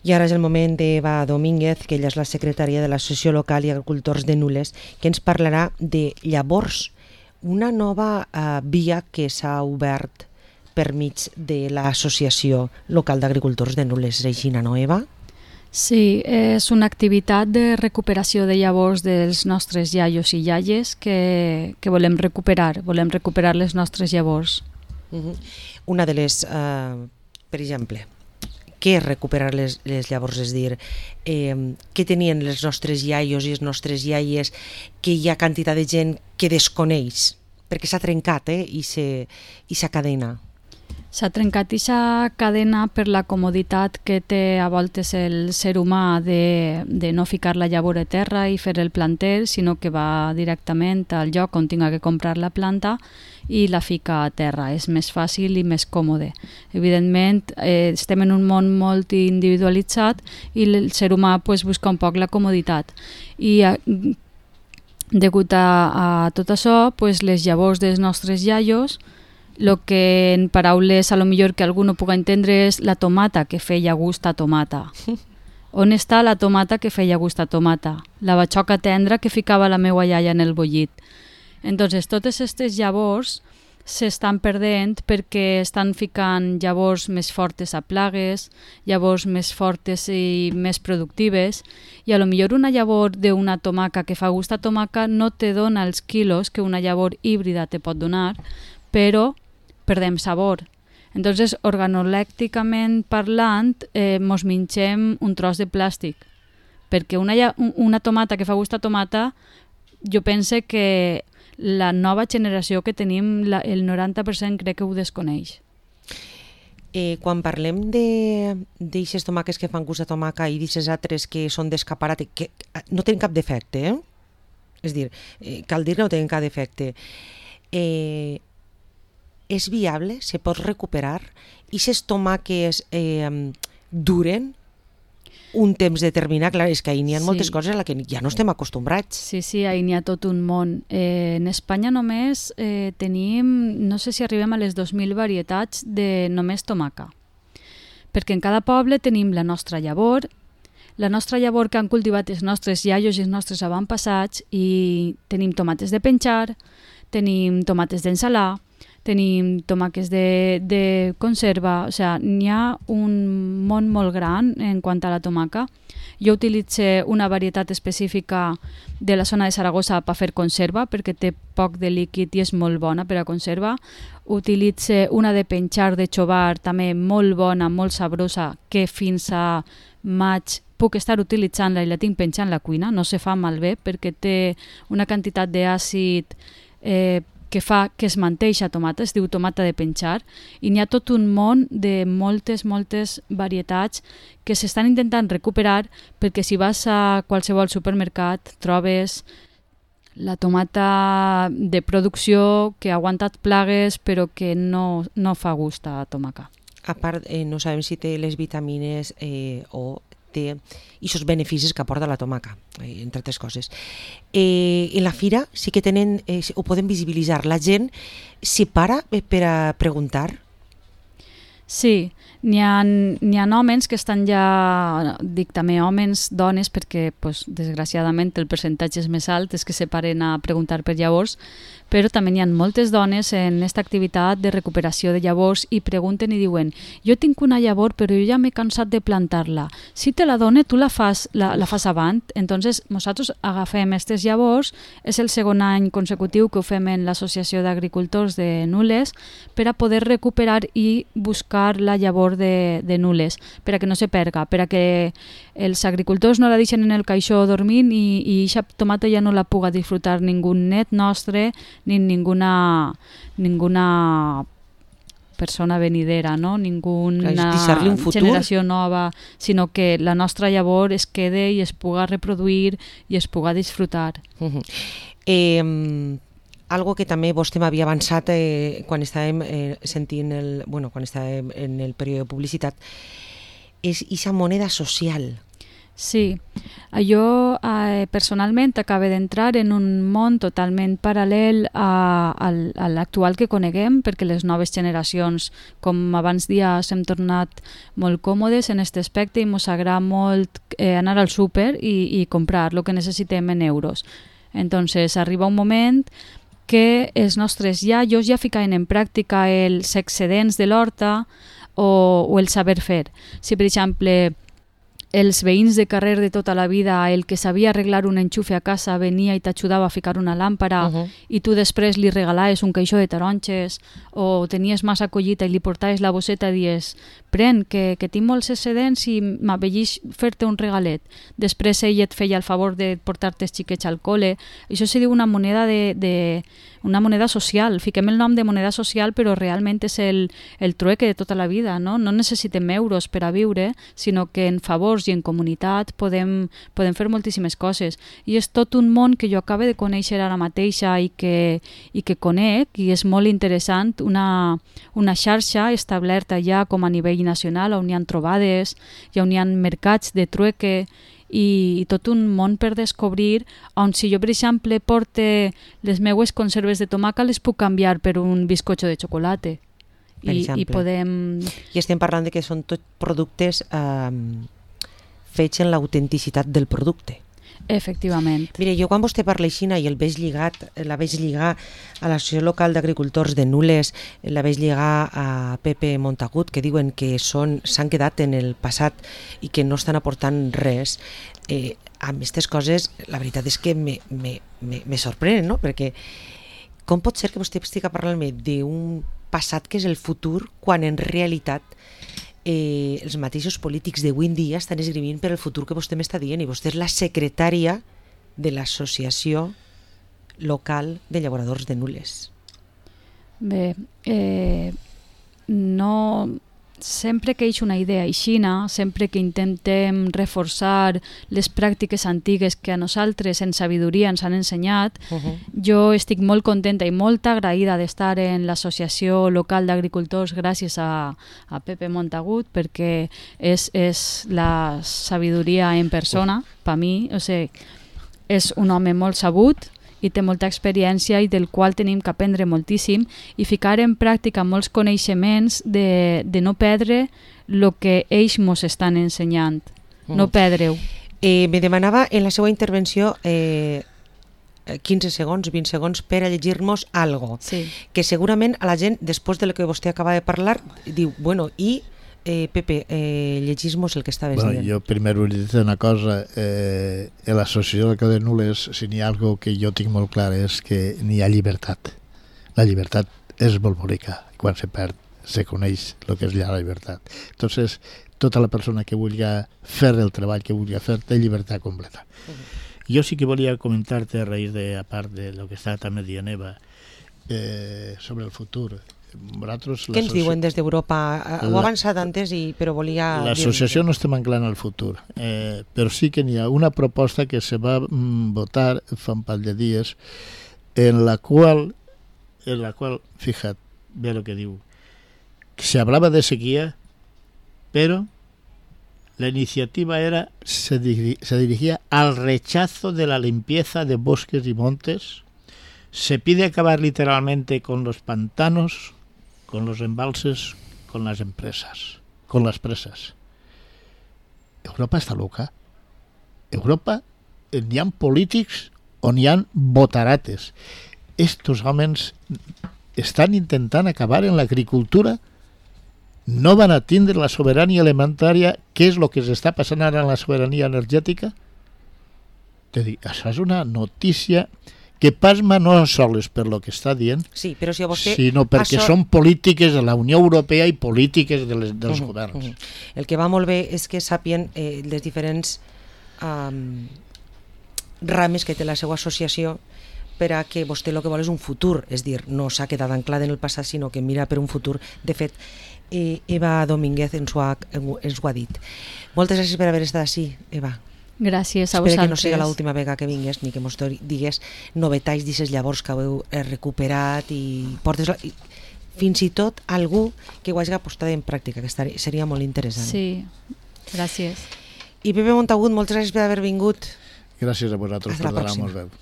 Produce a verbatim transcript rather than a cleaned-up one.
I ara és el moment d'Eva Domínguez, que ella és la secretària de l'Associació Local i Agricultors de Nules, que ens parlarà de llavors, una nova eh, via que s'ha obert per mig de l'Associació Local d'Agricultors de Nules. És així, no, Eva? Sí, és una activitat de recuperació de llavors dels nostres iaios i iaies que, que volem recuperar, volem recuperar les nostres llavors. Uh-huh. Una de les, eh, per exemple, què és recuperar les, les llavors? És dir, eh, què tenien els nostres iaios i les nostres iaies que hi ha quantitat de gent que desconeix? Perquè s'ha trencat eh, i s'ha cadena. S'ha trencat aquesta cadena per la comoditat que té a voltes el ser humà de, de no ficar la llavor a terra i fer el planter, sinó que va directament al lloc on tinga que comprar la planta i la fica a terra. És més fàcil i més còmode. Evidentment, eh, estem en un món molt individualitzat i el ser humà pues, busca un poc la comoditat. I eh, degut a, a tot això, pues, les llavors dels nostres iaios, el que en paraules a lo millor que algú no puga entendre és la tomata que feia gust a tomata. On està la tomata que feia gust a tomata? La batxoca tendra que ficava la meua iaia en el bullit. Entonces, totes aquestes llavors s'estan perdent perquè estan ficant llavors més fortes a plagues, llavors més fortes i més productives, i a lo millor una llavor d'una tomaca que fa gust a tomaca no te dona els quilos que una llavor híbrida te pot donar, però perdem sabor. Entonces, organolècticament parlant, eh, mos mengem un tros de plàstic, perquè una, una tomata que fa gust a tomata, jo pense que la nova generació que tenim, la, el noranta per cent crec que ho desconeix. Eh, quan parlem d'aixes tomaques que fan gust a tomaca i d'aixes altres que són d'escaparat, que no tenen cap defecte, eh? És dir, eh, cal dir que no tenen cap defecte. Eh, és viable? Se pot recuperar? I aquestes tomaques eh, duren un temps determinat? Clar, és que ahir n'hi ha sí. moltes coses a les que ja no estem acostumbrats. Sí, sí, ahir n'hi ha tot un món. Eh, en Espanya només eh, tenim, no sé si arribem a les dos mil varietats de només tomaca. Perquè en cada poble tenim la nostra llavor, la nostra llavor que han cultivat els nostres iaios i els nostres avantpassats, i tenim tomates de penjar, tenim tomates d'ensalar, tenim tomaques de, de conserva, o sigui, n'hi ha un món molt gran en quant a la tomaca. Jo utilitzo una varietat específica de la zona de Saragossa per fer conserva, perquè té poc de líquid i és molt bona per a conserva. Utilitzo una de penjar de xovar, també molt bona, molt sabrosa, que fins a maig puc estar utilitzant-la i la tinc penjant a la cuina, no se fa malbé perquè té una quantitat d'àcid eh, que fa que es manté eixa tomata, es diu tomata de penjar, i n'hi ha tot un món de moltes, moltes varietats que s'estan intentant recuperar, perquè si vas a qualsevol supermercat trobes la tomata de producció que ha aguantat plagues però que no, no fa gust a tomaca. A part, eh, no sabem si té les vitamines eh, o té aquests beneficis que aporta la tomaca, eh, entre altres coses. Eh, en la fira sí que tenen, eh, ho poden visibilitzar. La gent s'hi para per a preguntar? Sí, n'hi ha, n'hi ha homes que estan ja, dic també homes, dones, perquè pues, desgraciadament el percentatge és més alt, és que se paren a preguntar per llavors, però també n'hi ha moltes dones en aquesta activitat de recuperació de llavors i pregunten i diuen, jo tinc una llavor però jo ja m'he cansat de plantar-la, si te la done tu la fas, la, la fas avant. Entonces nosaltres agafem aquestes llavors, és el segon any consecutiu que ho fem en l'Associació d'Agricultors de Nules per a poder recuperar i buscar la llavor de, de Nules, per a que no se perga, per a que els agricultors no la deixen en el caixó dormint i, i aquesta tomata ja no la puga disfrutar ningú net nostre ni ninguna, ninguna persona venidera, no? Ninguna generació nova, sinó que la nostra llavor es quede i es puga reproduir i es puga disfrutar. Uh-huh. Eh, algo que també vostè m'havia avançat eh, quan estàvem eh, sentint el, bueno, quan estàvem en el període de publicitat, és aquesta moneda social. Sí, jo a eh, personalment acaba d'entrar en un món totalment paral·lel a, a, a l'actual que coneguem, perquè les noves generacions, com abans dies, hem tornat molt còmodes en aquest aspecte i ens agrada molt eh, anar al súper i, i comprar el que necessitem en euros. Entonces arriba un moment que els nostres iaios ja ficaven en pràctica els excedents de l'horta o, o el saber fer. Si, per exemple, els veïns de carrer de tota la vida, el que sabia arreglar un enxufe a casa venia i t'ajudava a ficar una làmpara, uh-huh. i tu després li regalaves un caixó de taronges o tenies massa collita i li portaves la bosseta i dies pren, que, que tinc molts excedents i m'avellix fer-te un regalet. Després ell et feia el favor de portar-te els xiquets al col·le. Això se diu una moneda de, de una moneda social. Fiquem el nom de moneda social, però realment és el, el trueque de tota la vida, no? No necessitem euros per a viure, sinó que en favors i en comunitat podem, podem fer moltíssimes coses. I és tot un món que jo acabo de conèixer ara mateixa i que, i que conec, i és molt interessant, una, una xarxa establerta ja com a nivell nacional, on hi ha trobades, i on hi ha mercats de trueque, i, i tot un món per descobrir, on si jo, per exemple, porte les meues conserves de tomaca, les puc canviar per un bizcocho de xocolata. I, i podem... I estem parlant de que són tots productes eh, fets en l'autenticitat del producte. Efectivament. Mire, jo quan vostè parla així i el veig lligat, la veig lligar a l'Associació Local d'Agricultors de Nules, la veig lligar a Pepe Montagut, que diuen que són s'han quedat en el passat i que no estan aportant res, eh, amb aquestes coses la veritat és que me, me, me, me sorprenen, no? Perquè com pot ser que vostè estigui parlant-me d'un passat que és el futur quan en realitat Eh, els mateixos polítics d'avui en dia estan esgrimint per el futur que vostè m'està dient, i vostè és la secretària de l'Associació Local de Llauradors de Nules. Bé, eh, no... Sempre que hi ha una idea aixina, sempre que intentem reforçar les pràctiques antigues que a nosaltres en sabidoria ens han ensenyat, uh-huh. jo estic molt contenta i molt agraïda d'estar en l'Associació Local d'Agricultors gràcies a, a Pepe Montagut, perquè és, és la sabidoria en persona, per mi. O sigui, és un home molt sabut i té molta experiència i del qual tenim que aprendre moltíssim i ficar en pràctica molts coneixements de, de no perdre el que ells ens estan ensenyant. Mm. No perdre-ho. Eh, me demanava en la seva intervenció eh, quinze segons, vint segons per a llegir-nos algo, sí. que segurament a la gent, després de lo que vostè acaba de parlar, diu, bueno, i Eh, Pepe, eh, llegís-nos el que estaves bueno, dient. Jo primer vull dir una cosa, eh, en l'associació de Nules, si n'hi ha algo que jo tinc molt clar és que n'hi ha llibertat. La llibertat és molt bonica, quan se perd se coneix el que és la llibertat. Entonces, tota la persona que vulgui fer el treball que vulgui fer té llibertat completa. Uh-huh. Jo sí que volia comentar-te a raïs de, a part de lo que està també dient Eva, eh, sobre el futur. Vosaltres, què ens diuen des d'Europa? Ho ha avançat antes, i, però volia... L'associació no estem anclant al futur, eh, però sí que n'hi ha una proposta que se va mm, votar fa un parell de dies, en la qual, en la qual, fíjate, ve lo que diu, que se hablaba de sequía, pero la iniciativa era se, diri- se dirigía al rechazo de la limpieza de bosques y montes. Se pide acabar literalmente con los pantanos, con los embalses, con las empresas, con las presas. Europa està loca. Europa, n'hi ha polítics on hi ha botarates. Estos homes estan intentant acabar en l'agricultura, no van a tindre la sobirania alimentària. Què és el que s'està passant ara en la sobirania energètica? Te dic, això és una notícia que pasma no sols per lo que està dient, sí, però si vostè, sinó perquè això... són polítiques de la Unió Europea i polítiques de les, dels uh-huh, governs. Uh-huh. El que va molt bé és que sàpien eh, les diferents um, rames que té la seva associació, per a que vostè el que vol és un futur, és dir, no s'ha quedat anclada en el passat, sinó que mira per un futur. De fet, eh, Eva Domínguez ens ho, ha, ens ho ha dit. Moltes gràcies per haver estat així, Eva. Gràcies a vosaltres. Espero que no sigui l'última vegada que vingués, ni que mos digués novetats d'aquestes llavors que heu recuperat i portes la... fins i tot algú que ho hagi posat en pràctica, que estaria, seria molt interessant. Sí, gràcies. I Pepe Montagut, moltes gràcies per haver vingut. Gràcies a vosaltres Hasta per la donar-nos pròxima. veu.